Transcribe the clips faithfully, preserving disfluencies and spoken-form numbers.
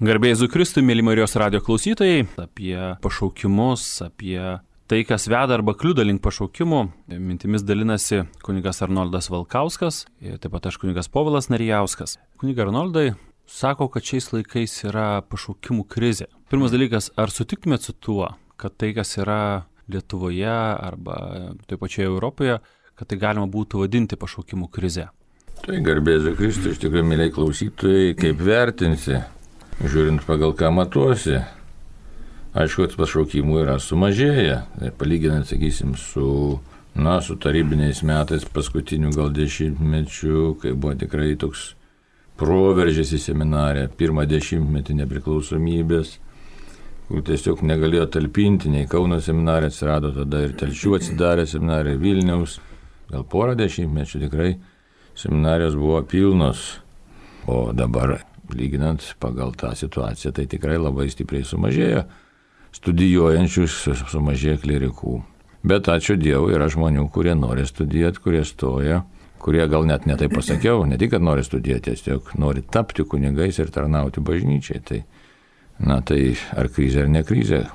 Garbė Jėzui Kristui, mėly Marijos radijo klausytojai, apie pašaukimus, apie tai, kas veda arba kliudo link pašaukimų, mintimis dalinasi kunigas Arnoldas Valkauskas ir taip pat aš kunigas Povilas Narijauskas. Kuniga Arnoldai sako, kad šiais laikais yra pašaukimų krizė. Pirmas dalykas, ar sutiktumėt su tuo, kad tai, kas yra Lietuvoje arba taip pačioje Europoje, kad tai galima būtų vadinti pašaukimų krize? Tai garbė Jėzui Kristui, iš tikrųjų, mėly klausytojai, kaip vertinsi? Žiūrint pagal ką matuosi, aišku, pašaukimų yra sumažėję. Tai palyginant, sakysim, su, na, su tarybiniais metais paskutinių gal dešimtmečių, kai buvo tikrai toks proveržis į seminariją, pirmą dešimtmetį nepriklausomybės, kur tiesiog negalėjo talpinti, nei Kauno seminarija atsirado, tada ir Telšių atsidarė seminarija, Vilniaus, gal porą dešimtmečių tikrai seminarijos buvo pilnos, o dabar lyginant pagal tą situaciją, tai tikrai labai stipriai sumažėjo studijuojančių, sumažėjo klerikų. Bet ačiū Dievui, yra žmonių, kurie nori studijuoti, kurie stoja, kurie gal net netai pasakiau, ne tik, kad nori studijuoti, tiesiog nori tapti kunigais ir tarnauti bažnyčiai. Tai, na tai ar krizė ar ne krizė,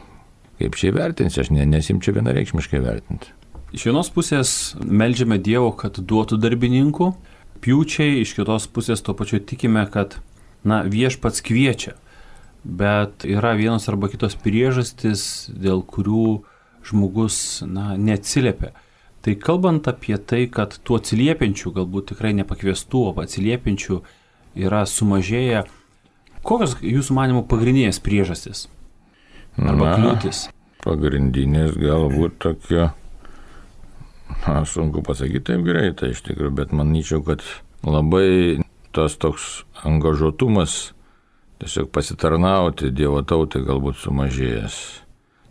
kaip čia vertinsi, aš ne, nesimčiau vienareikšmiškai vertinti. Iš vienos pusės meldžiame Dievo, kad duotų darbininkų, pjūčiai, iš kitos pusės tuo pačiu tikime, kad na, viešpats kviečia, bet yra vienos arba kitos priežastys, dėl kurių žmogus, na, neatsiliepia. Tai kalbant apie tai, kad tų atsiliepiančių, galbūt tikrai nepakviestų, o atsiliepiančių yra sumažėję, kokios jūsų manimo pagrindinės priežastys? Arba kliūtis? Pagrindinės galbūt tokia, na, sunku pasakyti taip greitai iš tikrųjų, bet manyčiau, kad labai tas toks angažuotumas tiesiog pasitarnauti Dievo tautai galbūt sumažėjęs.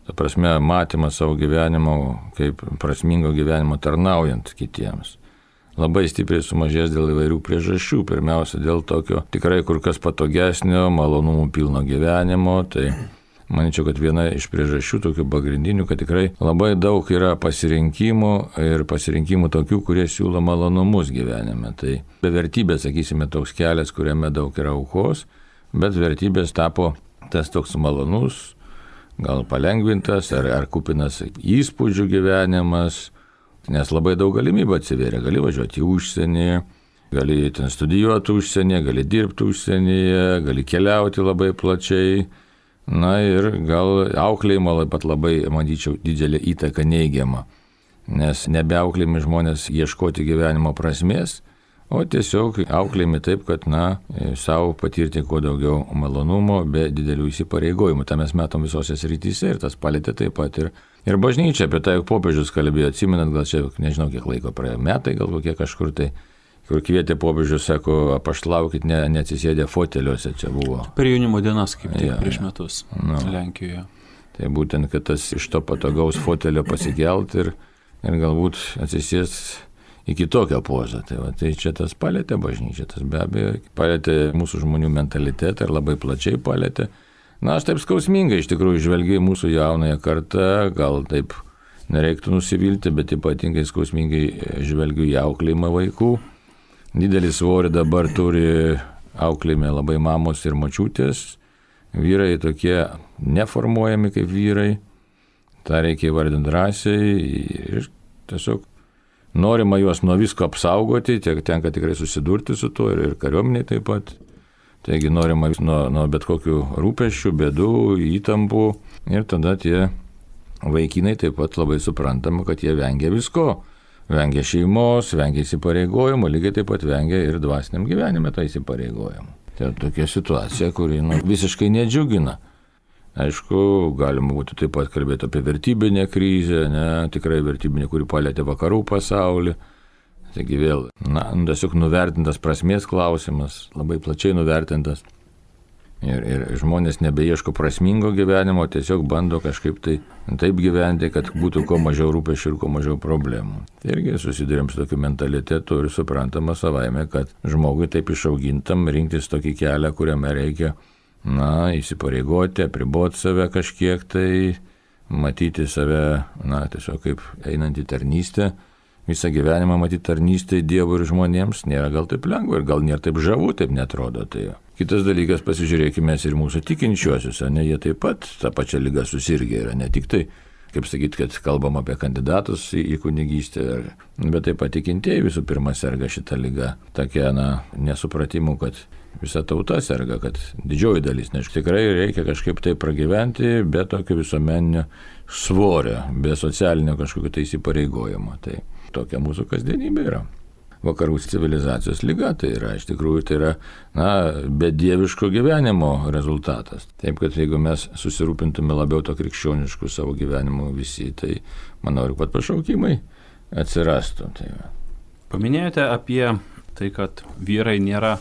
Ta prasme, matymas savo gyvenimo kaip prasmingo gyvenimo tarnaujant kitiems. Labai stipriai sumažėjęs dėl įvairių priežasčių. Pirmiausia, dėl tokio tikrai kur kas patogesnio, malonumų pilno gyvenimo. Tai manyčiau, kad viena iš priežasčių tokių pagrindinių, kad tikrai labai daug yra pasirinkimų ir pasirinkimų tokių, kurie siūlo malonumus gyvenime. Tai be vertybės, sakysime, toks kelias, kuriame daug yra aukos, bet vertybės tapo tas toks malonus, gal palengvintas ar, ar kupinas įspūdžių gyvenimas, nes labai daug galimybių atsiveria. Gali važiuoti į užsienį, gali ten studijuoti užsienyje, gali dirbti užsienyje, gali keliauti labai plačiai. Na ir gal auklėjimo pat labai, manyčiau, didelė įtaka neigiama, nes nebeauklėjami žmonės ieškoti gyvenimo prasmės, o tiesiog auklėjami taip, kad, na, savo patirti kuo daugiau malonumo be didelių įsipareigojimų. Ta mes matom visose srityse ir tas palietė taip pat ir, ir bažnyčia, apie tai popiežius kalbėjo, atsimenat, gal čia, nežinau, kiek laiko praėjo, metai gal kokie kažkur tai, kur kvietė popiežius, sako, apaštalaukit, ne, neatsisėdė foteliuose, čia buvo. Per jaunimo dienas, kaip tik ja, prieš metus no. Lenkijoje. Tai būtent, kad tas iš to patogaus fotelio pasikelt ir, ir galbūt atsisės į kitokią pozą. Tai, va, tai čia tas palėtė bažnyčia, tas be abejo palėtė mūsų žmonių mentalitetą ir labai plačiai palėtė. Na, aš taip skausmingai iš tikrųjų žvelgiu mūsų jaunąją kartą, gal taip nereiktų nusivilti, bet ypatingai skausmingai žvelgiu į auklėjimą vaikų. Didelį svorį dabar turi auklėjime labai mamos ir močiutės. Vyrai tokie neformuojami kaip vyrai. Ta reikia įvardinti drąsiai ir tiesiog norima juos nuo visko apsaugoti, tiek tenka tikrai susidurti su tuo ir, ir kariuomeniai taip pat. Taigi norima nuo, nuo bet kokių rūpesčių, bėdų, įtampų ir tada tie vaikinai taip pat labai suprantama, kad jie vengia visko. Vengia šeimos, vengia įsipareigojimų, lygiai taip pat vengia ir dvasiniam gyvenime tą įsipareigojimą. Tai tokia situacija, kuri nu, visiškai nedžiugina. Aišku, galima būtų taip pat kalbėti apie vertybinę krizę, ne, tikrai vertybinę, kuri palietė vakarų pasaulį. Taigi vėl, na, tiesiog nuvertintas prasmės klausimas, labai plačiai nuvertintas. Ir, ir žmonės nebeieško prasmingo gyvenimo, tiesiog bando kažkaip tai taip gyventi, kad būtų kuo mažiau rūpesčių ir kuo mažiau problemų. Irgi susidurėm su tokiu mentalitetu ir suprantama savaime, kad žmogui taip išaugintam rinktis tokį kelią, kuriame reikia, na, įsipareigoti, apriboti save kažkiek tai, matyti save, na, tiesiog kaip einant į tarnystę. Visą gyvenimą matyti tarnystę Dievui ir žmonėms nėra gal taip lengva ir gal nėra taip žavu, taip netrodo. Tai Kitas dalykas, pasižiūrėkime ir mūsų tikinčiuosius, ne, jie taip pat tą pačią ligą susirgę yra, ne tik tai, kaip sakyti, kad kalbam apie kandidatus į, į kunigystę, bet taip pat tikintieji visų pirma serga šitą ligą. Tokia, na, nesupratimu, kad visa tauta serga, kad didžioji dalis, nes tikrai reikia kažkaip tai pragyventi be tokio visuomeninio svorio, be socialinio kažkokio tai įsipareigojimo. Tai tokia mūsų kasdienybė yra. Vakarų civilizacijos liga, tai yra, iš tikrųjų, tai yra, na, bedieviško gyvenimo rezultatas. Taip, kad jeigu mes susirūpintume labiau to krikščioniškų savo gyvenimo visi, tai, manau, ir pat pašaukimai atsirastų. Tai va. Paminėjote apie tai, kad vyrai nėra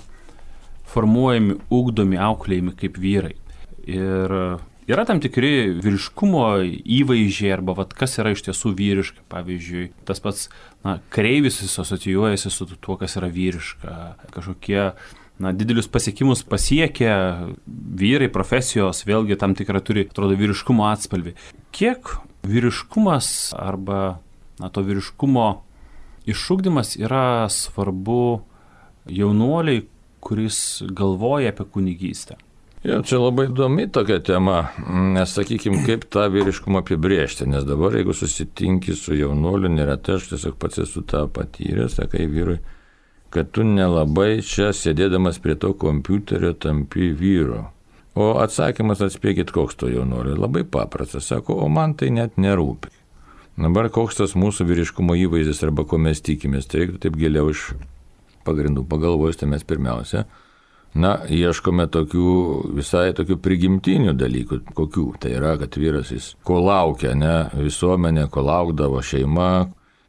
formuojami, ugdomi, auklėjami kaip vyrai. Ir yra tam tikri vyriškumo įvaizdžiai arba vat, kas yra iš tiesų vyriška. Pavyzdžiui, tas pats na, kareivis asocijuojasi su tuo, kas yra vyriška. Kažkokie na, didelius pasiekimus pasiekia vyrai, profesijos, vėlgi tam tikrą turi, atrodo, vyriškumo atspalvį. Kiek vyriškumas arba na, to vyriškumo išugdymas yra svarbu jaunuoliai, kuris galvoja apie kunigystę? Ja, čia labai įdomi tokia tema, nes sakykime, kaip tą vyriškumą apibrėžti, nes dabar jeigu susitinki su jaunuoliu, neretai aš tiesiog pats esu tą patyręs, sakai vyrui, kad tu nelabai čia sėdėdamas prie to kompiuterio tampi vyru. O atsakymas, atspėkit, koks to jaunuolio, labai paprastas, sako, o man tai net nerūpi. Dabar koks tas mūsų vyriškumo įvaizdis arba ko mes tikimės, tai reiktų taip giliau iš pagrindų pagalvojus, tai mes pirmiausia, na, ieškome tokių visai tokių prigimtinių dalykų, kokių. Tai yra, kad vyras jis ko laukia, ne, visuomenė, ko laukdavo šeima,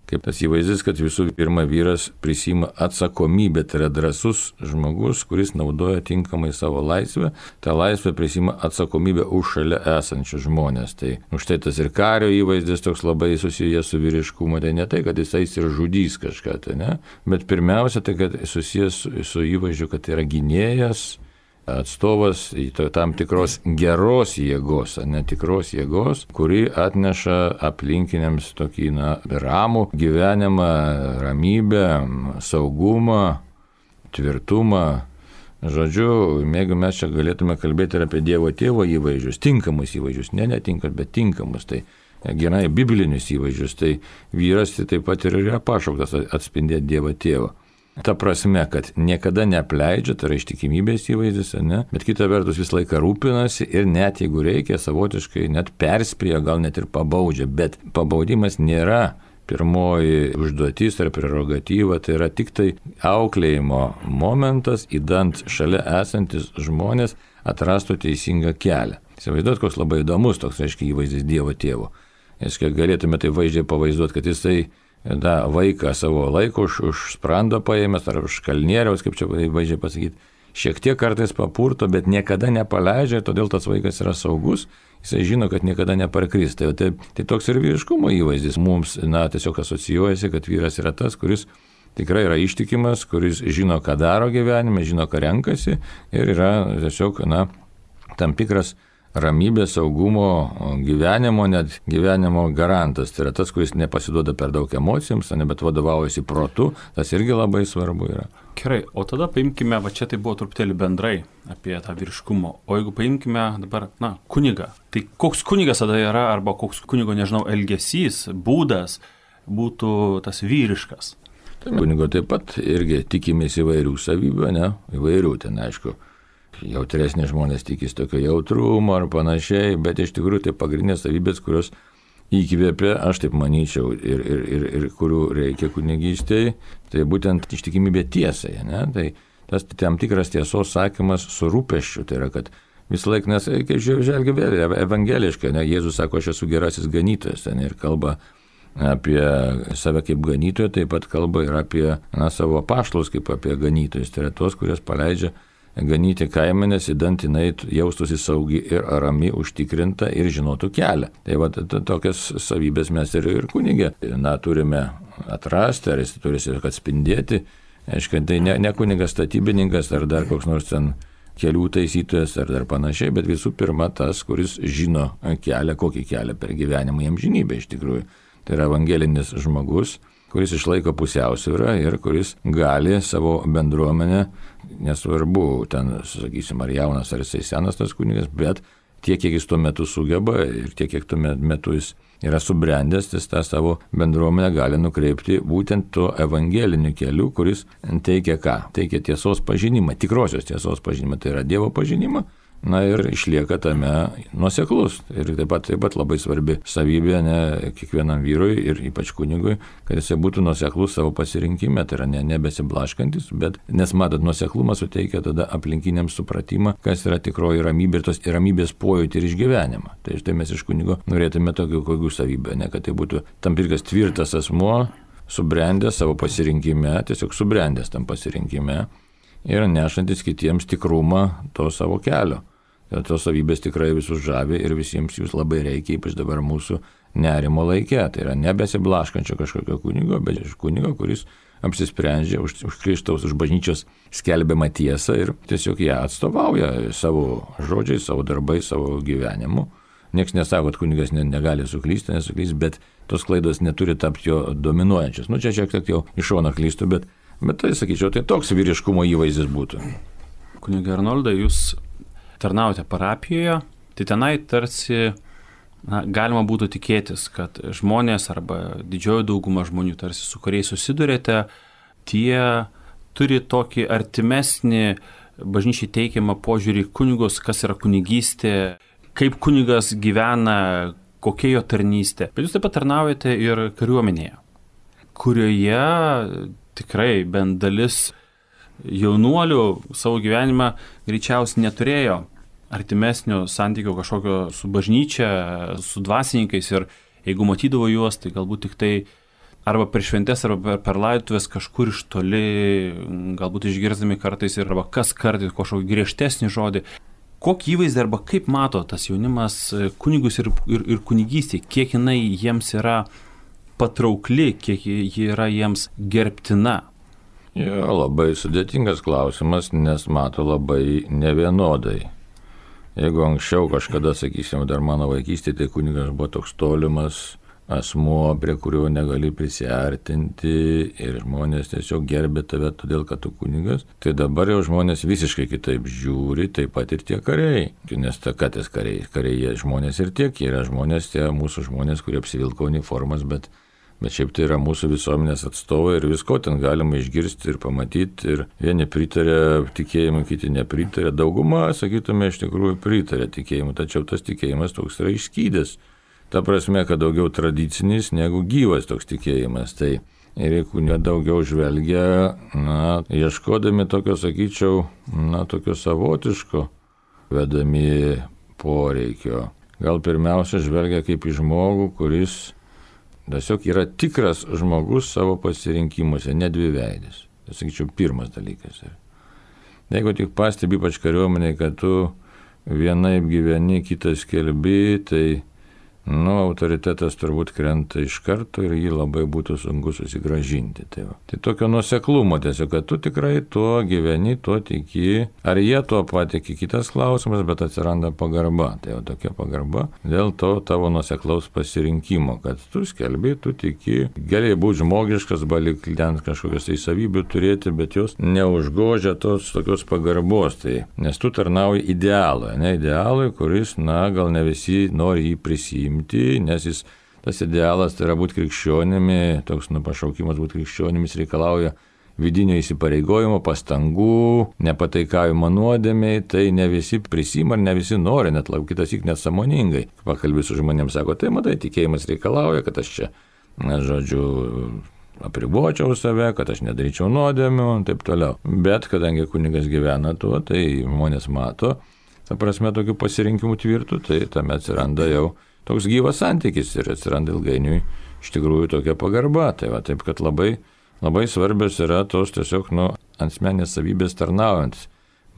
kaip tas įvaizdis, kad visų pirma vyras prisima atsakomybę, tai yra drąsus žmogus, kuris naudoja tinkamai savo laisvę, tą laisvę prisima atsakomybę už šalia esančius žmonės. Tai už tai tas ir kario įvaizdis toks labai susijęs su vyriškumu, tai ne tai, kad jisai ir žudys kažką, tai ne, bet pirmiausia, tai kad susijęs su, su įvaizdžiu, kad tai yra gynėjas, atstovas į tam tikros geros jėgos, netikros jėgos, kuri atneša aplinkiniams tokį na, ramų gyvenimą, ramybę, saugumą, tvirtumą. Žodžiu, jeigu mes čia galėtume kalbėti ir apie Dievo tėvo įvaizdžius, tinkamus įvaizdžius, ne netinkamus, bet tinkamus, tai gerai biblinius įvaizdžius, tai vyras tai taip pat ir yra pašauktas atspindėti Dievo tėvą. Ta prasme, kad niekada neapleidžia, tai yra ištikimybės įvaizdis, ne? Bet kita vertus vis laiką rūpinasi ir net jeigu reikia, savotiškai net perspėja, gal net ir pabaudžia, bet pabaudimas nėra pirmoji užduotis ar prerogatyva, tai yra tik tai auklėjimo momentas, įdant šalia esantis žmonės atrastų teisingą kelią. Įsivaizduot, koks labai įdomus toks, reiškia, įvaizdis Dievo tėvo. Reiškia, galėtume tai vaizdžiai pavaizduoti, kad jisai da, vaiką savo laiko už, už sprando paėmęs ar už kalnieriaus, kaip čia vaizdžiai pasakyti, šiek tiek kartais papurto, bet niekada nepaleidžia, todėl tas vaikas yra saugus, jisai žino, kad niekada neparkris. Tai, tai, tai toks ir vyriškumo įvaizdis mums, na, tiesiog asocijuojasi, kad vyras yra tas, kuris tikrai yra ištikimas, kuris žino, ką daro gyvenime, žino, ką renkasi ir yra tiesiog, na, tam tikras ramybės, saugumo, gyvenimo, net gyvenimo garantas. Tai yra tas, kuris nepasiduoda per daug emocijoms, bet vadovaujasi protu, tas irgi labai svarbu yra. Gerai, o tada paimkime, va čia tai buvo truputėlį bendrai apie tą vyriškumo, o jeigu paimkime dabar, na, kunigą, tai koks kunigas tada yra, arba koks kunigo, nežinau, elgesys, būdas būtų tas vyriškas? Tai kunigo taip pat irgi tikimės įvairių savybių, ne, įvairių ten, aišku. Jautresni žmonės tikis tokio jautrumo ar panašiai, bet iš tikrųjų tai pagrindinės savybės, kurios įkvėpia, aš taip manyčiau, ir, ir, ir, ir kurių reikia kunigystėje, tai būtent ištikimybė tiesai, ne? Tai tas tam tikras tiesos sakymas su rūpesčiu, tai yra, kad visą laiką, nes, kaip žvelgia vėl, evangeliškai, ne? Jėzus sako, aš esu gerasis ganytojas, ne? Ir kalba apie save kaip ganytoją, taip pat kalba ir apie na, savo apaštalus kaip apie ganytojus, tai yra tos, kurios paleidžia ganyti kaimenės, įdant jinai jaustųsi saugi ir rami, užtikrinta ir žinotų kelią. Tai va, tokias savybės mes ir, ir kunigė, na, turime atrasti, ar jis turi atspindėti. Aišku, tai ne, ne kunigas statybininkas, ar dar koks nors ten kelių taisytojas, ar dar panašiai, bet visų pirma tas, kuris žino kelią, kokį kelią per gyvenimą į amžinybę iš tikrųjų. Tai yra evangelinis žmogus, kuris išlaiko pusiausvyrą ir kuris gali savo bendruomenę, nesvarbu, ten, sakysim, ar jaunas, ar jisai senas tas kunigas, bet tiek, kiek jis tuo metu sugeba ir tiek, kiek tuo metu jis yra subrendęs, jis tą savo bendruomenę gali nukreipti būtent tuo evangeliniu keliu, kuris teikia ką? Teikia tiesos pažinimą, tikrosios tiesos pažinimą, tai yra Dievo pažinimą. Na ir išlieka tame nuoseklus. Ir taip pat, taip pat labai svarbi savybė ne, kiekvienam vyrui ir ypač kunigui, kad jisai būtų nuoseklus savo pasirinkime, tai yra ne, nebesiblaškantis, bet nes matot, nuoseklumas suteikia tada aplinkiniams supratimą, kas yra tikroji ramybė ir tos ramybės pojūtį ir išgyvenimą. Tai štai mes iš kunigo norėtume tokių kokių savybę, ne, kad tai būtų tam tikras tvirtas asmuo, subrendęs savo pasirinkime, tiesiog subrendęs tam pasirinkime ir nešantis kitiems tikrumą to savo kelio. Ir tos savybės tikrai visus žavi ir visiems jūs labai reikia, ypač dabar mūsų nerimo laike. Tai yra nebesiblaškančio kažkokio kunigo, bet iš kunigo, kuris apsisprendžia už, už Kristaus, už bažnyčios skelbiamą tiesą ir tiesiog ją atstovauja savo žodžiais, savo darbais, savo gyvenimu. Niekas nesako, kad kunigas ne, negali suklysti, nesuklysti, bet tos klaidos neturi tapti jo dominuojančios. Nu čia šiek tiek jau iš šono klystu, bet, bet tai sakyčiau, tai toks vyriškumo įvaizdis būtų. Kunigai Arnoldai, jūs tarnaujate parapijoje, tai tenai tarsi na, galima būtų tikėtis, kad žmonės arba didžioji dauguma žmonių, tarsi su kuriais susidurėte, tie turi tokį artimesnį bažnyčiai teikiamą požiūrį kunigus, kas yra kunigystė, kaip kunigas gyvena, kokia jo tarnystė. Bet jūs taip pat tarnaujate ir kariuomenėje, kurioje tikrai bent dalis jaunuolių savo gyvenimą greičiausiai neturėjo artimesnio santykio kažkokio su bažnyčia, su dvasininkais ir jeigu matydavo juos, tai galbūt tik tai arba per šventes, arba per, per laidotuvės kažkur iš toli, galbūt išgirzdami kartais ir arba kas kartais kažkokį griežtesnį žodį. Kokį įvaizdį arba kaip mato tas jaunimas kunigus ir, ir, ir kunigystė, kiek jinai jiems yra patraukli, kiek ji yra jiems gerbtina? Jo, labai sudėtingas klausimas, nes mato labai nevienodai. Jeigu anksčiau kažkada, sakysim, dar mano vaikystėje, tai kunigas buvo toks tolimas asmuo, prie kurio negali prisiartinti ir žmonės tiesiog gerbė tave todėl, kad tu kunigas, tai dabar jau žmonės visiškai kitaip žiūri, taip pat ir tie kariai. Nes ta katės kariai, kariai žmonės ir tiek yra žmonės, tie mūsų žmonės, kurie apsivilko uniformas, bet Bet šiaip tai yra mūsų visuomenės atstovai ir visko ten galima išgirsti ir pamatyti. Ir vieni pritarė tikėjimui, kiti nepritarė. Dauguma, sakytume, iš tikrųjų pritarė tikėjimui, tačiau tas tikėjimas toks yra išskydęs. Ta prasme, kad daugiau tradicinis negu gyvas toks tikėjimas. Tai ir jeigu daugiau žvelgia, na, ieškodami tokio, sakyčiau, na, tokio savotiško vedami poreikio. Gal pirmiausia žvelgia kaip į žmogų, kuris tiesiog yra tikras žmogus savo pasirinkimuose, ne dviveidis. Tai sakyčiau, pirmas dalykas. Jeigu tik pastebi, ypač kariuomeniai, kad tu vienaip gyveni, kitas skelbi, tai nu, autoritetas turbūt krenta iš karto ir jį labai būtų sunku susigrąžinti. Tai, tai tokio nuoseklumo tiesiog, kad tu tikrai tuo gyveni, tuo tiki. Ar jie tuo patiki, kitas klausimas, bet atsiranda pagarba. Tai jau tokia pagarba dėl to tavo nuoseklaus pasirinkimo, kad tu skelbi, tu tiki. Gali būti žmogiškas, balik ten kažkokios tai savybių turėti, bet jos neužgožia tos tokios pagarbos. Tai, nes tu tarnauji idealui, ne idealui, kuris, na, gal ne visi nori jį prisijimti. Nes jis, tas idealas tai yra būti krikščionimi, toks nu, pašaukimas būti krikščionimis reikalauja vidinio įsipareigojimo, pastangų, nepataikavimo nuodėmiai, tai ne visi prisima ir ne visi nori, net kitas įk net sąmoningai. Pakalbė su žmonėms, sako, tai matai, tikėjimas reikalauja, kad aš čia, na, žodžiu, apribočiau save, kad aš nedaryčiau nuodėmių ir taip toliau. Bet kadangi kunigas gyvena tuo, tai žmonės mato, ta prasme, tokių pasirinkimų tvirtų, tai tame atsiranda jau toks gyvas santykis ir atsiranda ilgainiui iš tikrųjų tokia pagarba. Tai va, taip, kad labai, labai svarbios yra tos tiesiog, nu, asmenės savybės tarnaujant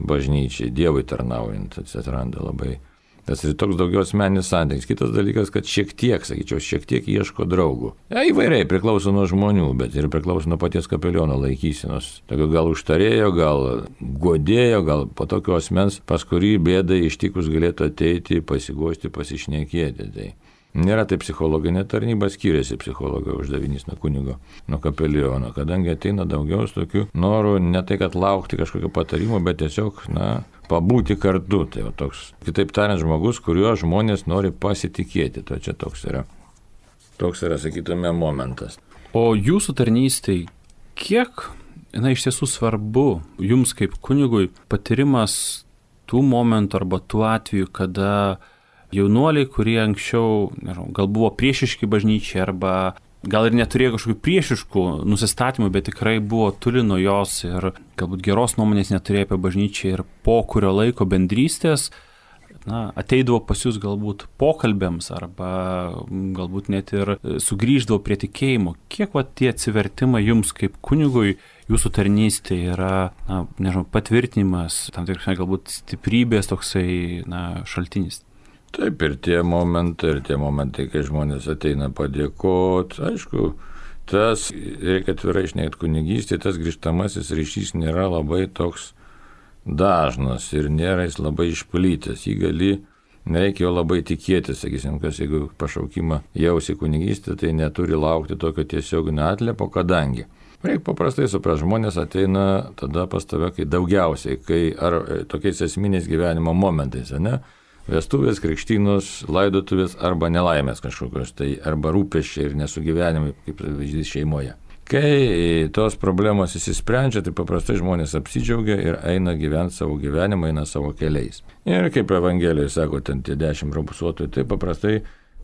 bažnyčiai, Dievui tarnaujant, atsiranda labai. Tas ir toks daugiau asmeninis santykis. Kitas dalykas, kad šiek tiek, sakyčiau, šiek tiek ieško draugų. Ja, įvairiai priklauso nuo žmonių, bet ir priklauso nuo paties kapeliono laikysenos. Tokio gal užtarėjo, gal godėjo, gal po tokio asmens, pas kurį bėdai ištikus galėtų ateiti, pasiguosti, pasišnekėti. Tai Nėra tai psichologinė tarnyba, skiriasi psichologo uždavinys nuo kunigo, nuo kapeliono, kadangi ateina daugiau tokių norų, ne tai kad laukti kažkokio patarimo, bet tiesiog, na, pabūti kartu. Tai jau toks, kitaip tariant, žmogus, kuriuo žmonės nori pasitikėti. To čia toks yra, toks yra, sakytume, momentas. O jūsų tarnystėj, kiek, na, iš tiesų svarbu jums kaip kunigui patyrimas tų momentų arba tų atvejų, kada jaunuoliai, kurie anksčiau, nežinau, gal buvo priešiški bažnyčiai arba gal ir neturėjo kažkokių priešiškų nusistatymų, bet tikrai buvo toli nuo jos ir galbūt geros nuomonės neturėjo apie bažnyčią ir po kurio laiko bendrystės, na, ateidavo pas jūs galbūt pokalbėms arba galbūt net ir sugrįždavo prie tikėjimo. Kiek va tie atsivertimai jums kaip kunigui, jūsų tarnystė yra, na, nežinau, patvirtinimas, tam tikrai galbūt stiprybės toksai, na, šaltinis? Taip, ir tie momentai, ir tie momentai, kai žmonės ateina padėkoti, aišku, tas, reikia atvirai šnekėti kunigystė, tas grįžtamasis ryšys nėra labai toks dažnas ir nėra jis labai išplytęs, jį gali, nereikia jo labai tikėtis, sakysim, kas jeigu pašaukimą jausi kunigystė, tai neturi laukti tokio tiesioginio atliepo, kadangi. Reikia paprastai suprasti, žmonės ateina tada pas tave, kai daugiausiai, kai ar tokiais esminiais gyvenimo momentais, ne? Vestuvės, krikštynos, laidotuvės arba nelaimės kažkokios, tai arba rūpesčiai ir nesugyvenimai, kaip pavyzdys šeimoje. Kai tos problemos įsisprendžia, tai paprastai žmonės apsidžiaugia ir eina gyventi savo gyvenimą, eina savo keliais. Ir kaip Evangelijoje sako, ten tie dešimt raupsuotojų, tai paprastai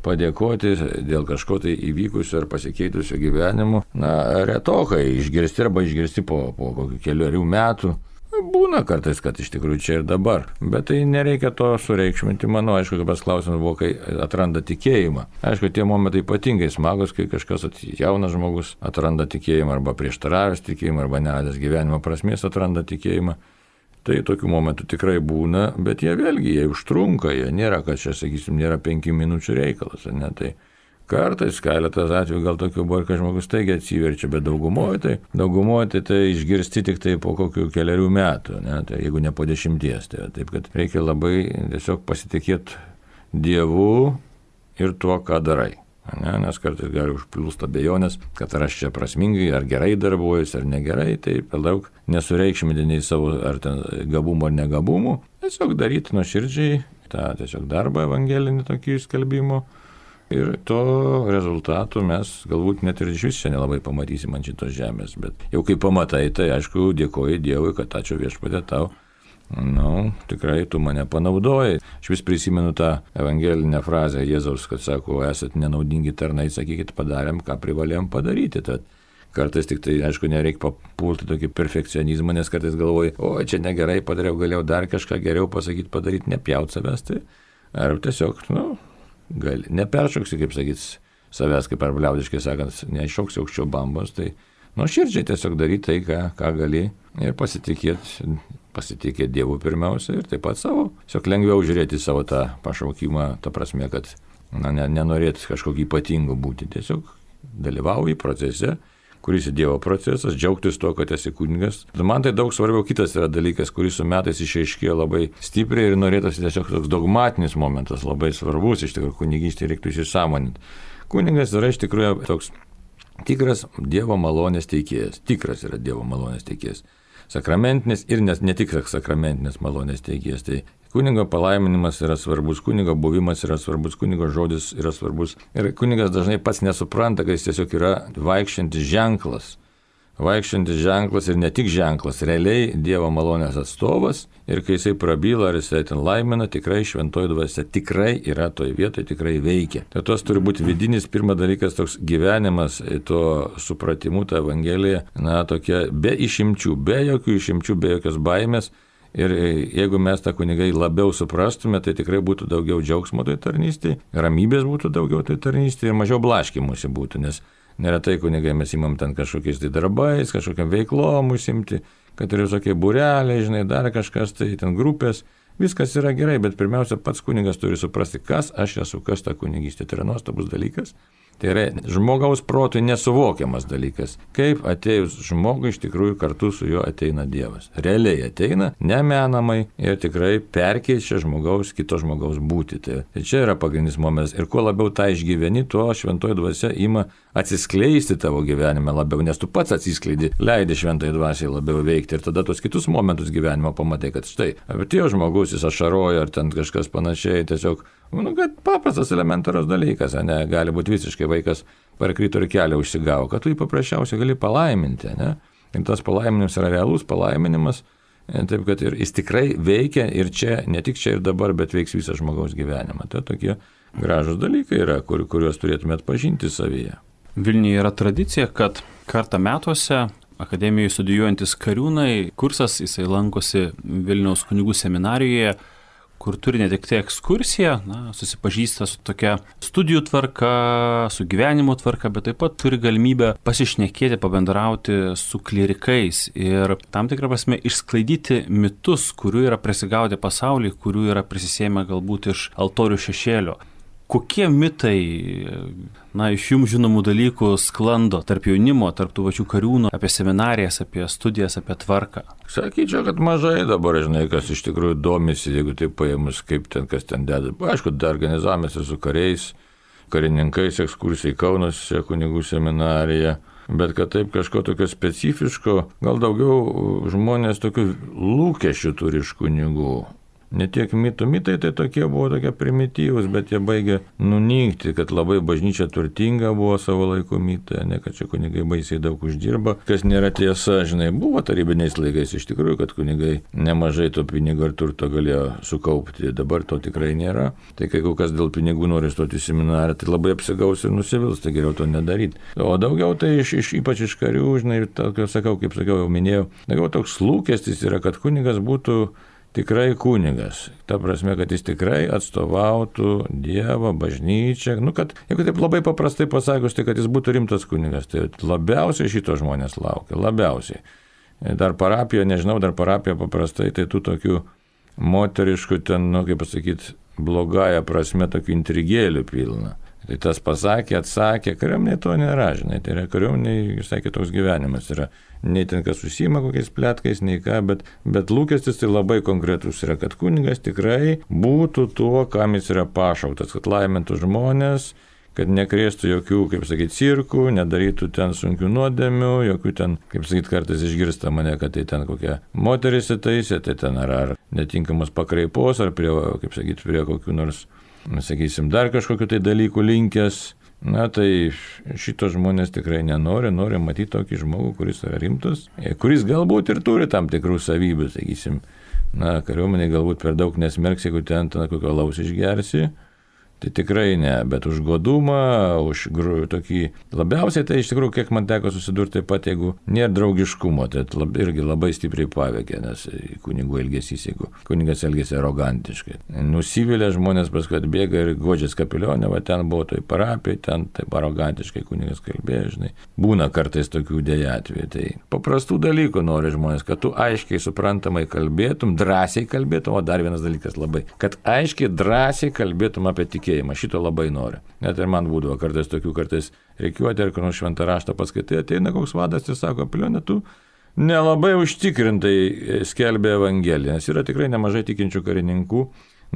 padėkoti dėl kažko tai įvykusio ar pasikeitusio gyvenimu, na, retokai išgirsti arba išgirsti po, po kokių keliarių metų. Būna kartais, kad iš tikrųjų čia ir dabar, bet tai nereikia to sureikšminti. Manau, aišku, kaip tas klausimas buvo, kai atranda tikėjimą. Aišku, tie momentai ypatingai smagus, kai kažkas jaunas žmogus atranda tikėjimą arba prieštaravęs tikėjimą arba neradęs gyvenimo prasmės atranda tikėjimą. Tai tokių momentų tikrai būna, bet jie vėlgi, jie užtrunka, jie nėra, kad čia, sakysim, nėra penkių minučių reikalas, ne, tai kartais keletas atvejų gal tokių buvo, kai žmogus taigiai atsiverčia, bet daugumoje tai, daugumoje tai, tai išgirsti tik tai po kokių keliarių metų, ne, tai jeigu ne po dešimties. Tai, taip, kad reikia labai tiesiog pasitikėti Dievu ir tuo, ką darai. Ne, nes kartais gali užplūsti abejonės, kad ar aš čia prasmingai, ar gerai darbuojuosi, ar negerai, tai per daug nesureikšminti nei savo ar ten gabumų ar negabumų. Tiesiog daryti nuoširdžiai tą tiesiog darbą evangelinį tokį skelbimo. Ir to rezultatų mes galbūt net ir iš vis čia nelabai pamatysim ant šitos žemės, bet jau kai pamatai, tai aišku, dėkoji Dievui, kad ačiū Viešpatie tau, nu, tikrai tu mane panaudojai. Aš vis prisimenu tą evangelinę frazę Jėzaus, kad sako, esat nenaudingi tarnai, sakykit, padarėm, ką privalėjom padaryti. Tad kartais tik tai, aišku, nereikia papulti tokį perfekcionizmą, nes kartais galvoji, o čia negerai padariau, galėjau dar kažką geriau pasakyti, padaryti, nepjaut savęs, tai ar tiesiog, nu, gali, neperšoksi, kaip sakyt, savęs, kaip ar liaudiškai sakant, neiššoksi aukščiau bambos, tai nuoširdžiai tiesiog daryti tai, ką, ką gali ir pasitikėti, pasitikėti Dievu pirmiausia ir taip pat savo, tiesiog lengviau žiūrėti savo tą pašaukimą, ta prasme, kad na, ne, nenorėti kažkokį ypatingų būti, tiesiog dalyvauji procese, kuris į Dievo procesas, džiaugtis to, kad esi kunigas. Man tai daug svarbiau kitas yra dalykas, kuris su metais išaiškėjo labai stipriai ir norėtųsi tiesiog toks dogmatinis momentas, labai svarbus, iš tikrųjų kunigystė reiktų įsisąmoninti. Kunigas yra iš tikrųjų toks tikras Dievo malonės teikėjas, tikras yra Dievo malonės teikėjas. Sakramentinis ir ne, ne tik sakramentinis malonės teikėjas. Tai kunigo palaiminimas yra svarbus, kunigo buvimas yra svarbus, kunigo žodis yra svarbus. Ir kunigas dažnai pats nesupranta, kad jis tiesiog yra vaikščiantis ženklas. Vaikščiantis ženklas ir ne tik ženklas, realiai Dievo malonės atstovas. Ir kai jisai prabyla ar jisai ten laimina, tikrai šventoji dvasia tikrai yra toje vietoje, tikrai veikia. Tai tos turi būti vidinis, pirmas dalykas, toks gyvenimas, to supratimu, ta Evangelija, na, tokia be išimčių, be jokių išimčių, be jokios baimės. Ir jeigu mes tą kunigai labiau suprastume, tai tikrai būtų daugiau džiaugsmo toj tarnystėje, ramybės būtų daugiau toj tarnystėje ir mažiau blaškymusi būtų, nes neretai kunigai mes imam ten kažkokiais tai darbais, kažkokiam veiklom užsimti, kad ir visokie būreliai, žinai, dar kažkas, tai ten grupės, viskas yra gerai, bet pirmiausia pats kunigas turi suprasti, kas aš esu, kas ta kunigystė. Tai yra nuostabus dalykas, Tai yra žmogaus protui nesuvokiamas dalykas. Kaip atėjus žmogui iš tikrųjų kartu su juo ateina Dievas. Realiai ateina, nemenamai ir tikrai perkeičia žmogaus, kito žmogaus būtį. Tai, tai čia yra pagrindinis momentas. Ir kuo labiau tą išgyveni, tuo šventoji dvasia ima atsiskleisti tavo gyvenime labiau, nes tu pats atsiskleidi, leidi šventai dvasiai labiau veikti ir tada tos kitus momentus gyvenimo pamatai, kad štai, atėjo žmogus, jis ašaroja ar ten kažkas panašiai, tiesiog, nu, kad paprastas elementarus dalykas, ne, gali būti visiškai vaikas parkrito ir kelią užsigavo, kad tu jį paprasčiausiai gali palaiminti, ne, ir tas palaiminimas yra realus palaiminimas, taip kad ir jis tikrai veikia ir čia, ne tik čia ir dabar, bet veiks visą žmogaus gyvenimą. Tai tokie gražus dalykai yra, kur, kuriuos turėtume atpažinti savyje. Vilniuje yra tradicija, kad kartą metuose akademijoje studijuojantis kariūnai, kursas, jisai lankosi Vilniaus kunigų seminarijoje, kur turi ne tik tai ekskursiją, na, susipažįsta su tokia studijų tvarka, su gyvenimo tvarka, bet taip pat turi galimybę pasišnekėti, pabendrauti su klierikais ir tam tikrą prasme išsklaidyti mitus, kurių yra prisigaudę pasaulyje, kurių yra prisisėmę galbūt iš altorių šešėlio. Kokie mitai, na, iš jums žinomų dalykų sklando tarp jaunimo, tarp tų pačių kariūnų, apie seminarijas, apie studijas, apie tvarką? Sakyčiau, kad mažai dabar, žinai, kas iš tikrųjų domisi, jeigu taip paėmus, kaip ten, kas ten deda. Aišku, dar organizavomės su kariais, karininkais, ekskursijai Kaunuose, kunigų seminarija, bet kad taip kažko tokio specifiško, gal daugiau žmonės tokių lūkesčių turi iš kunigų. Ne tiek mitų, mitai tai tokie buvo tokie primityvūs, bet jie baigė nunykti, kad labai bažnyčia turtinga buvo savo laiku mitai, ne kad čia kunigai baisiai daug uždirba, kas nėra tiesa, žinai, buvo tarybiniais laikais iš tikrųjų, kad kunigai nemažai to pinigų ir turto galėjo sukaupti, dabar to tikrai nėra. Tai kai kas dėl pinigų nori stoti į seminarą, tai labai apsigaus ir nusivils, tai geriau to nedaryti. O daugiau tai iš, iš, ypač iš karių, žinai, ir tokio, sakau, kaip sakiau, jau minėjau, daugiau toks lūkestis yra, kad kunigas būtų tikrai kunigas. Ta prasme, kad jis tikrai atstovautų Dievą, bažnyčią. Nu, kad, jeigu taip labai paprastai pasakius, tai kad jis būtų rimtas kunigas. Tai labiausiai šito žmonės laukia. Labiausiai. Dar parapija, nežinau, dar parapija paprastai, tai tų tokių moteriškų ten, nu, kaip pasakyti, blogąją prasme, tokių intrigėlių pilna. Tai tas pasakė, atsakė, kariuomeniai to nėra, žinai, tai yra kariuomeniai, visai kitoks gyvenimas yra. Nei ten kas užsiima kokiais pletkais, nei ką, bet, bet lūkestis tai labai konkretus yra, kad kunigas tikrai būtų tuo, kam jis yra pašauktas, kad laimintų žmonės, kad nekrėstų jokių, kaip sakyti, cirkų, nedarytų ten sunkių nuodėmių, jokių ten, kaip sakyti, kartais išgirsta mane, kad tai ten kokia moteris įtaisė, tai ten ar, ar netinkamos pakraipos, ar prie, kaip sakyti, prie kokių nors, sakysim, dar kažkokiu tai dalykų linkęs. Na tai šito žmonės tikrai nenori, nori matyti tokį žmogų, kuris yra rimtas, kuris galbūt ir turi tam tikrų savybių, sakysim. Na, kariuomeniai galbūt per daug nesmerks, jeigu ten ten kokio alaus išgersi. Tai tikrai ne, bet už godumą, už gru, tokį, labiausiai tai iš tikrųjų, kiek man teko susidurti taip pat, jeigu nėra draugiškumo, tai lab, irgi labai stipriai paveikia, nes kunigų elgesys, jeigu kunigas elgesi arogantiškai. Nusivylę žmonės paskui atbėga ir godžias kapilionė, va ten buvo toj parapijai, ten taip arogantiškai kunigas kalbėjo, žinai. Būna kartais tokių dėja atvejų, tai paprastų dalykų nori žmonės, kad tu aiškiai suprantamai kalbėtum, drąsiai kalbėtum, o dar vienas dalykas labai, kad aiškiai drąsiai kalbėtum apie tikėjimą. Šito labai nori. Net ir man būdavo kartais tokių, kartais reikiuoti, ar kur šventą raštą paskaitai, ateina koks vadas ir sako, Pilionė, tu nelabai užtikrintai skelbė Evangeliją, nes yra tikrai nemažai tikinčių karininkų.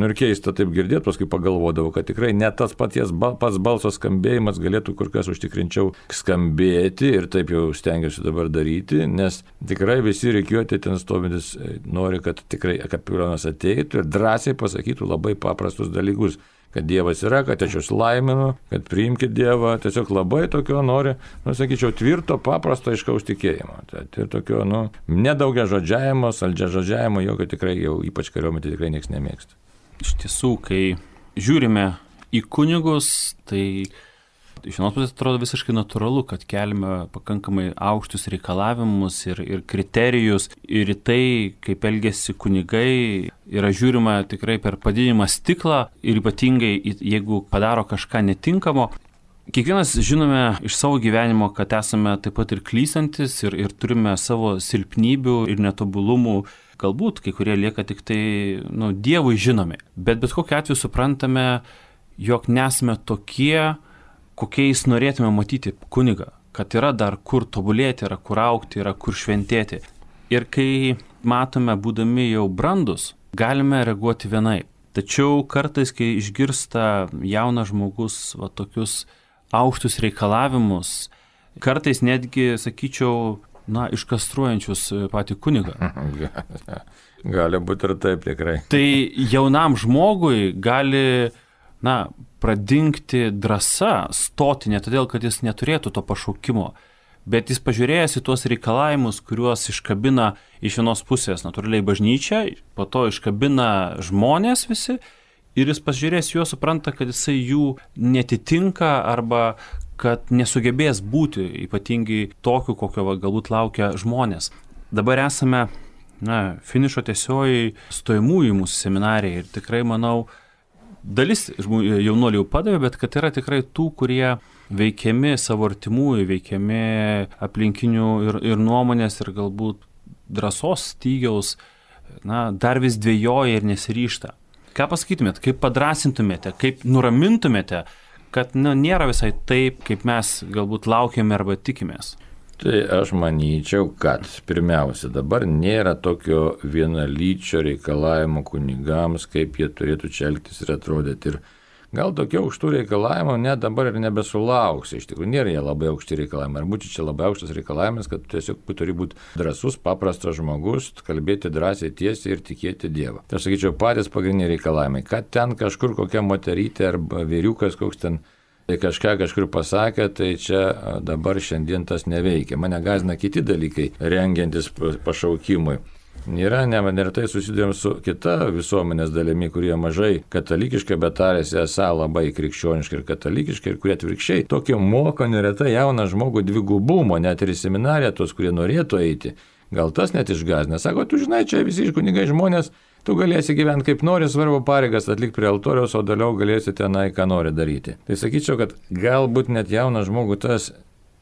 Nu ir keista taip girdėti, paskui pagalvodavau, kad tikrai net tas paties, pats balso skambėjimas galėtų kur kas užtikrinčiau skambėti ir taip jau stengiuosi dabar daryti, nes tikrai visi reikiuoti ten stovintis nori, kad tikrai kapelionas ateitų ir drąsiai pasakytų labai paprastus dalykus. Kad Dievas yra, kad aš jūs laiminu, kad priimkite Dievą, tiesiog labai tokio nori, nu, sakyčiau, tvirto, paprasto, aiškaus tikėjimo. Tai ir tokio, nu, nedaugia žodžiavimo, saldžia žodžiavimo, jokio tikrai jau ypač kariuomenė tikrai niekas nemėgsta. Iš tiesų, kai žiūrime į kunigus, tai iš vienos pusės atrodo visiškai natūralu, kad keliame pakankamai aukštus reikalavimus ir, ir kriterijus ir į tai, kaip elgesi kunigai, yra žiūrima tikrai per padidinimą stiklą ir ypatingai, jeigu padaro kažką netinkamo. Kiekvienas žinome iš savo gyvenimo, kad esame taip pat ir klystantis ir, ir turime savo silpnybių ir netobulumų. Galbūt kai kurie lieka tik tai, nu, Dievui žinomi. Bet bet kokiu atveju suprantame, jog nesame tokie, kokiais norėtume matyti kunigą, kad yra dar kur tobulėti, yra kur aukti, yra kur šventėti. Ir kai matome, būdami jau brandus, galime reaguoti vienaip. Tačiau kartais, kai išgirsta jaunas žmogus va, tokius aukštus reikalavimus, kartais netgi, sakyčiau, na, iškastruojančius patį kunigą. Gali būti ir taip tikrai. Tai jaunam žmogui gali, na, pradingti drąsa stoti, ne todėl, kad jis neturėtų to pašaukimo, bet jis pažiūrėjęs į tuos reikalavimus, kuriuos iškabina iš vienos pusės natūraliai bažnyčia, po to iškabina žmonės visi, ir jis pažiūrėjęs juos supranta, kad jisai jų netitinka arba kad nesugebės būti ypatingai tokiu, kokio va, galbūt laukia žmonės. Dabar esame na, finišo tiesioji stojamųjų mūsų seminarijai ir tikrai, manau, dalis jaunuolių jau padavė, bet kad yra tikrai tų, kurie veikiami savo artimųjų, veikiami aplinkinių ir, ir nuomonės ir galbūt drąsos stygiaus, na, dar vis dvejoja ir nesiryžta. Ką pasakytumėt, kaip padrasintumėte, kaip nuramintumėte, kad nu, nėra visai taip, kaip mes galbūt laukiame arba tikimės? Tai aš manyčiau, kad pirmiausia, dabar nėra tokio vienalyčio reikalavimo kunigams, kaip jie turėtų čia elgtis ir atrodyti. Ir gal tokie aukštų reikalavimų net dabar ir nebesulauks. Iš tikrųjų, nėra jie labai aukšti reikalavimai. Ar būtų čia labai aukštas reikalavimas, kad tiesiog turi būti drąsus, paprastas žmogus, kalbėti drąsiai, tiesiai ir tikėti Dievą. Tai aš sakyčiau, patys pagrindiniai reikalavimai. Kad ten kažkur kokia moterytė arba vyriukas koks ten kažką kažkur pasakė, tai čia dabar šiandien tas neveikia. Mane gąsdina kiti dalykai, rengiantis pašaukimui. Nėra, neretai susidurėm su kita visuomenės dalimi, kurie mažai katalikiškai, bet tarėsi esą labai krikščioniškai ir katalikiškai, ir kurie atvirkščiai tokio moko neretai jauną žmogų dvigubumo, net ir į seminariją tos, kurie norėtų eiti. Gal tas net išgąsdina. Sako, tu žinai, čia visi kunigai žmonės, tu galėsi gyventi kaip nori, svarbu pareigas atlikti prie altoriaus, o toliau galėsi tenai, ką nori daryti. Tai sakyčiau, kad galbūt net jaunas žmogus tas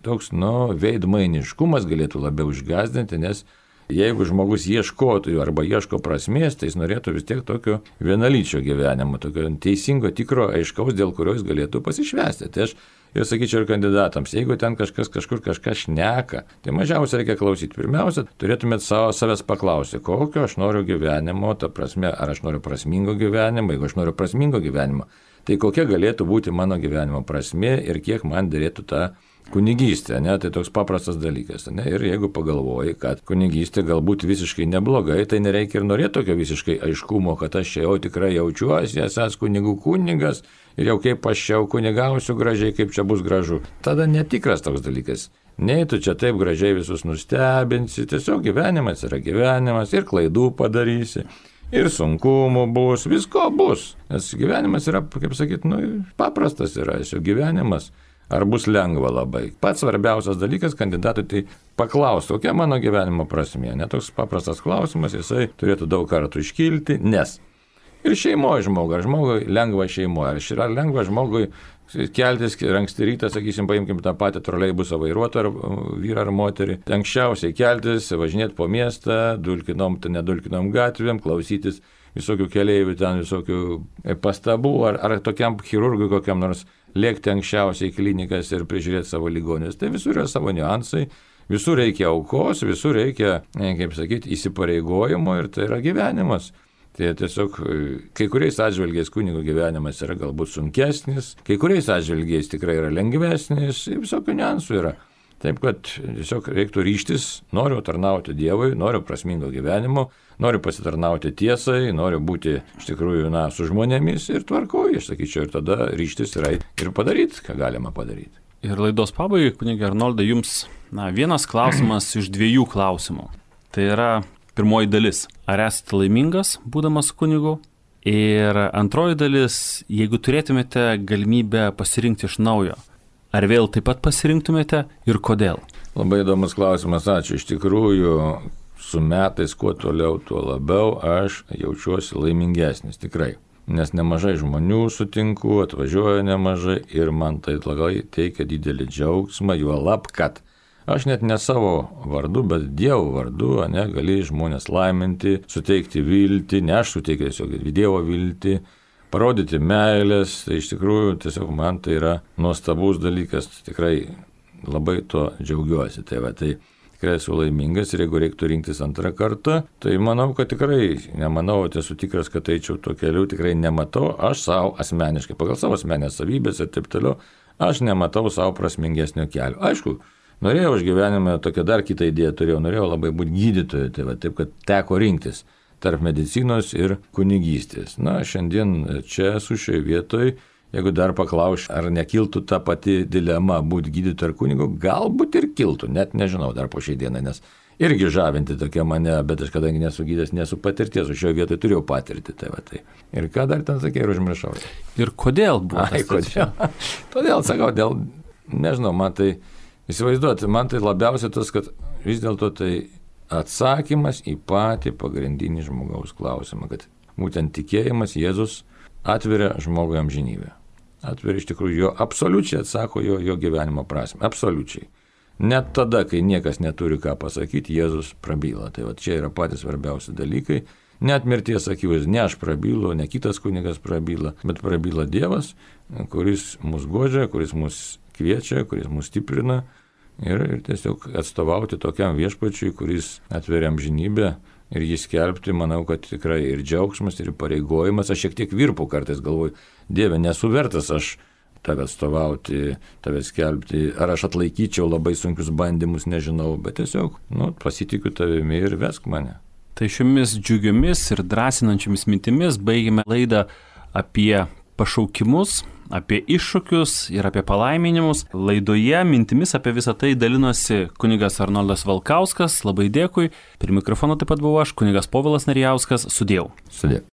toks, nu, veidmainiškumas galėtų labiau išgąsdinti, nes jeigu žmogus ieškotų arba ieško prasmės, tai jis norėtų vis tiek tokio vienalyčio gyvenimo, tokio teisingo, tikro, aiškaus, dėl kurio jis galėtų pasišvęsti. Tai aš ir sakyčiau ir kandidatams, jeigu ten kažkas kažkur kažką šneka, tai mažiausia reikia klausyti. Pirmiausia, turėtumėt savo savęs paklausti, kokio aš noriu gyvenimo, ta prasme, ar aš noriu prasmingo gyvenimo, jeigu aš noriu prasmingo gyvenimo, tai kokia galėtų būti mano gyvenimo prasmė ir kiek man dėrėtų tą kunigystė, ne, tai toks paprastas dalykas, ne, ir jeigu pagalvoji, kad kunigystė galbūt visiškai neblogai, tai nereikia ir norėti tokio visiškai aiškumo, kad aš čia jau tikrai jaučiuosi, esas kunigų kunigas ir jau kaip aš čia kunigausiu gražiai, kaip čia bus gražu. Tada netikras toks dalykas. Nei tu čia taip gražiai visus nustebinsi, tiesiog gyvenimas yra gyvenimas ir klaidų padarysi. Ir sunkumų bus, visko bus, nes gyvenimas yra, kaip sakyt, nu, paprastas yra, šio gyvenimas. Ar bus lengva labai? Pats svarbiausias dalykas kandidatui tai paklausti, kokia mano gyvenimo prasmė. Netoks paprastas klausimas, jisai turėtų daug kartų iškilti, nes ir šeimoje žmogui, ar žmogui lengva šeimoje, ar yra lengva žmogui keltis anksti rytą, sakysim, paimkim tą patį troleibusą vairuotoją, ar vyrą ar moterį, anksčiausiai keltis, važinėti po miestą, dulkinom, nedulkinom gatvėm, klausytis visokių keleivių, ten visokių pastabų, ar, ar tokiam chirurgui kokiam nors lėkti anksčiausiai į klinikas ir prižiūrėti savo ligonius. Tai visur yra savo niuansai, visur reikia aukos, visur reikia, kaip sakyti, įsipareigojimo ir tai yra gyvenimas. Tai tiesiog kai kuriais atžvilgiais kunigo gyvenimas yra galbūt sunkesnis, kai kuriais atžvilgiais tikrai yra lengvesnis, visokių niuansų yra. Taip, kad tiesiog reiktų ryžtis, noriu tarnauti Dievui, noriu prasmingo gyvenimo, noriu pasitarnauti tiesai, noriu būti iš tikrųjų, na, su žmonėmis ir tvarkoju, aš sakyčiau, ir tada ryžtis yra ir padaryti, ką galima padaryti. Ir laidos pabaigai, kunige Arnoldai, jums, na, vienas klausimas iš dviejų klausimų. Tai yra pirmoji dalis. Ar esate laimingas, būdamas kunigu? Ir antroji dalis, jeigu turėtumėte galimybę pasirinkti iš naujo, ar vėl taip pat pasirinktumėte ir kodėl? Labai įdomus klausimas, ačiū. Iš tikrųjų, su metais kuo toliau, tuo labiau aš jaučiuosi laimingesnis, tikrai. Nes nemažai žmonių sutinku, atvažiuoja nemažai ir man tai labai teikia didelį džiaugsmą, juolab, kad aš net ne savo vardu, bet Dievo vardu, ne, gali žmonės laiminti, suteikti viltį, ne aš suteikiu tiesiog Dievo viltį, parodyti meilės, tai iš tikrųjų tiesiog man tai yra nuostabus dalykas, tikrai labai to džiaugiuosi. Tai va, tai tikrai esu laimingas ir jeigu reiktų rinktis antrą kartą, tai manau, kad tikrai, nemanau, esu tikras, kad eičiau tuo keliu, tikrai nematau, aš savo asmeniškai, pagal savo asmenės savybės ir taip toliau, aš nematau savo prasmingesnio kelio. Aišku, norėjau aš gyvenime tokią dar kitą idėją turėjau, norėjau labai būti gydytoju, tai va, taip, kad teko rinktis tarp medicinos ir kunigystės. Na, šiandien čia esu šioje vietoje. Jeigu dar paklausiu, ar nekiltų ta pati dilema būti gydytoju ar kunigu, galbūt ir kiltų, net nežinau dar po šiai dienai, nes irgi žavinti tokia mane, bet aš kadangi nesu gydytojas, nesu patirties, o šioje vietoje turėjau patirti. Tai va, tai. Ir ką dar ten sakė ir užmiršau. Ir kodėl buvo? Ai, kodėl? Todėl sakau, dėl, nežinau, man tai, įsivaizduoti, man tai labiausiai tas, kad vis dėlto tai atsakymas į patį pagrindinį žmogaus klausimą, kad būtent tikėjimas Jėzus atveria žmogui amžinybę. Atveria iš tikrųjų jo, absoliučiai atsako jo, jo gyvenimo prasme, absoliučiai. Net tada, kai niekas neturi ką pasakyti, Jėzus prabyla. Tai va čia yra patys svarbiausi dalykai. Net mirties akivaizdžiai, ne aš prabylu, ne kitas kunigas prabyla, bet prabyla Dievas, kuris mus guodžia, kuris mus kviečia, kuris mus stiprina ir, ir tiesiog atstovauti tokiam viešpačiui, kuris atveria amžinybę. Ir jį skelbti, manau, kad tikrai ir džiaugsmas, ir pareigojimas. Aš šiek tiek virpu kartais galvoju, Dieve, nesu vertas aš tave atstovauti, tave skelbti, ar aš atlaikyčiau labai sunkius bandymus, nežinau, bet tiesiog, nu, pasitikiu tavimi ir vesk mane. Tai šiomis džiugiomis ir drąsinančiomis mintimis baigime laidą apie pašaukimus, apie iššūkius ir apie palaiminimus. Laidoje mintimis apie visą tai dalinosi kunigas Arnoldas Valkauskas, labai dėkui. Prie mikrofono taip pat buvau aš, kunigas Povilas Narijauskas, sudėjau. Sudėjau.